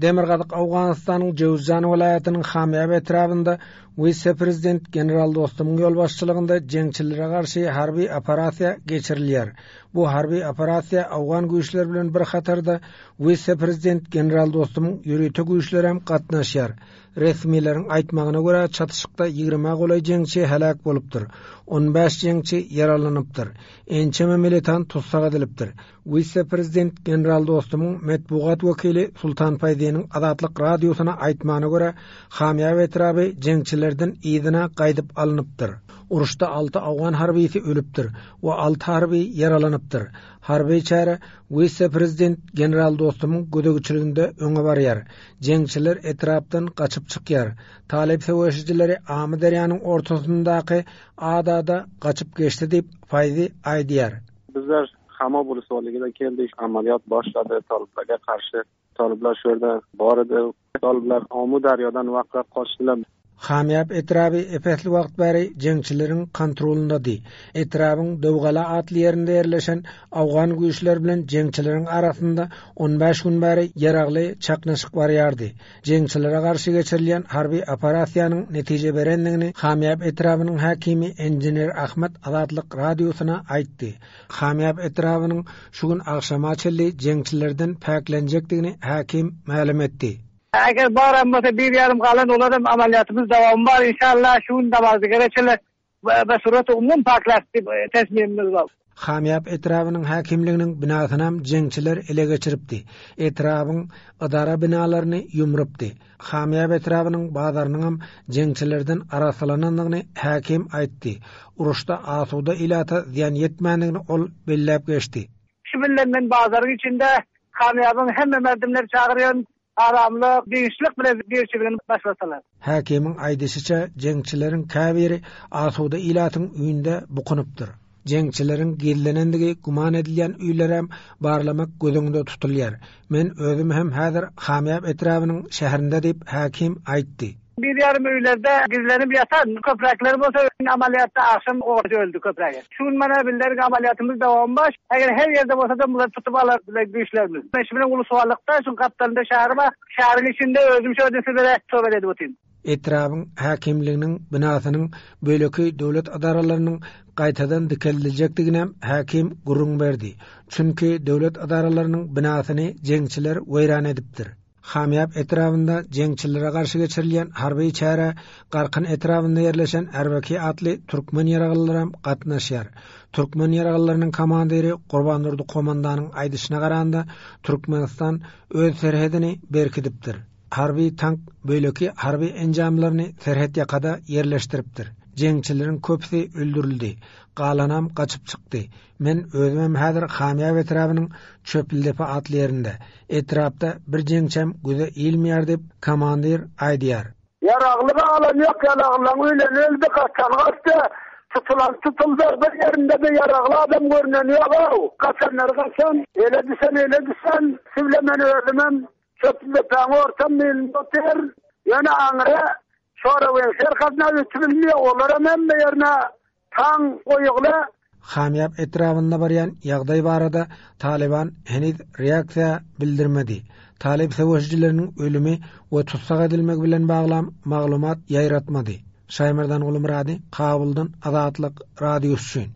Demirgazyk Owganystanyň Jöwüzjan welaýatynyň Hamýab etrabynda wise-prezident general Dostumyň ýolbaşçylygynda jeňçilere garşy harby operasiýa geçirilýär. Bu harby operasiýa owgan güýçleri bilen bir hatarda wise-prezident general Dostumyň ýörite güýçlerem gatnaşýar. Resmileriň aýtmagyna görä, çatyşykda ýigrimä golaý jeňçi heläk bolupdyr, on bäş jeňçi ýaralanypdyr, ençeme militant tussag edilipdir. Wise-prezident general Dostumyň metbugat wekili Sultan Faýziniň Azatlyk Radiosyna aýtmagyna görä, Hamýab etraby jeňçilerden yzyna gaýdyp alnypdyr. Uruşda alty owgan harbysy ölüpdir we alty harby ýaralanypdyr. Harby çäre wise-prezident general Dostumyň gözegçiliginde öňe barýar. Jeňçiler etrapdan gaçyp çykýar. Talyp söweşijileri Amyderýanyň ortasyndaky adada gaçyp geçdi diýip, Faýzi aýdýar. Bizler Hamob uluswaligida keldik, amaliyot boshladi toliblarga qarshi. Toliblar shu yerda bor edi. Toliblar Omu daryodan vaqrab qochdilar. Hamýap etraby ep-esli wagt bäri jeňçileriň kontrolyndady. Etrabyň Döwgala atly ýerinde ýerleşen owgan güýçleri bilen jeňçileriň arasynda on bäş gün bäri ýaragly çaknyşyk barýardy. Jeňçilere garşy geçirilýän harby operasiýanyň netije berendigini Hamýap etrabynyň häkimi enjener Ahmet Azatlyk Radiosyna aýtdy. Hamýap etrabynyň şu gün agşama çenli jeňçilerden päklenjekdigini häkim mälim etdi. Eger baram bolsa bir ýarym galan olaram amalýatymyz dowamy bar inşallah şu gün namazdigere çenli be sureti umum pakläp diýip tesmimimiz bar. Hamýap etrabynyň häkimliginiň binasynam jeňçiler ele geçiripdi. Etrabyň ydara binalaryny ýumrupdy. Hamýap etrabynyň bazarynyňam jeňçilerden arassalanandygyny häkim aýtdy. Uruşda asuda ilata zyýan ýetmändigini ol belläp geçdi. Şu bilen men bazaryň içinde Hamýabyň hemme merdimleri çagyrýan, aramly, dynçlyk bilen birçiligini başlasalar. Häkimiň aýdyşyça, jeňçileriň käbiri asuda ilatyň öýünde bukunypdyr. Jeňçileriň gizlenendigi güman edilýän öýlerem barlamak göz öňünde tutulýar. Men özüm hem häzir Hamýap etrabynyň şäherinde diýip, häkim aýtdy. Bir ýarym öýlerde gizlenip ýatan köpräkleri bolsa amalýatda agşam orta öldi köprägi. Şu gün mana bizleriň amalýatymyz dowam bar. Eger her ýerde bolsada bulary tutup alar bilen güýçlerimiz. Men şu bilen Ulusuwalykda şuň gapdalynda şäher bar. Şäheriň içinde özüm şu ýerde sizlere söhbet edip otyryn. Etrabyň häkimliginiň binasynyň beýleki döwlet edaralarynyň gaýtadan dikeldiljekdiginem häkim gürrüň berdi. Çünki döwlet edaralarynyň binasyny jeňçiler weýran edipdir. Hamýap etrabynda jeňçilere garşy geçirilýän harby çärä Garkyn etrabynda ýerleşen Erbeki atly türkmen ýaralylaram gatnaşýar. Türkmen ýaralylarynyň komandiri Gurbandurdy komandanyň aýdyşyna garanda, Türkmenistan öz serhedini berkidipdir. Harby tank, beýleki harby enjamlaryny serhet ýakada ýerleşdiripdir. Jeňçileriň köpüsi öldürildi. Galanam gaçyp çykdy. Men özümem häzir Hamýap etrabynyň Çöplüdepe atly ýerinde. Etrapda bir jeňçem göze ilmeýär diýip, komandir aýdýar. Ýaragly galan ýok, ýaraglylaň öleni öldi, gaçany gaçdy, tutulan tutuldy, bir ýerinde-de ýaragly adam görneni ýog-ow. Gaçanlary gaçan, ele düşen ele düşen, şu bilen men özümem Çöplüdepäň orta milinde otyryn. Ýöne aňry Şorawyň serhadyna ötübilmeýär, olaram hemme ýerine Taň goýugly. Hamýap etrabynda barýan ýagdaý barada Talyban heniz reaksiýa bildirmedi. Talyp söweşijileriniň ölümi we tussag edilmegi bilen baglam maglumat ýaýratmady. Şaýmerdan Gulumyrady, Kabuldan Azatlyk Radiosy üçin.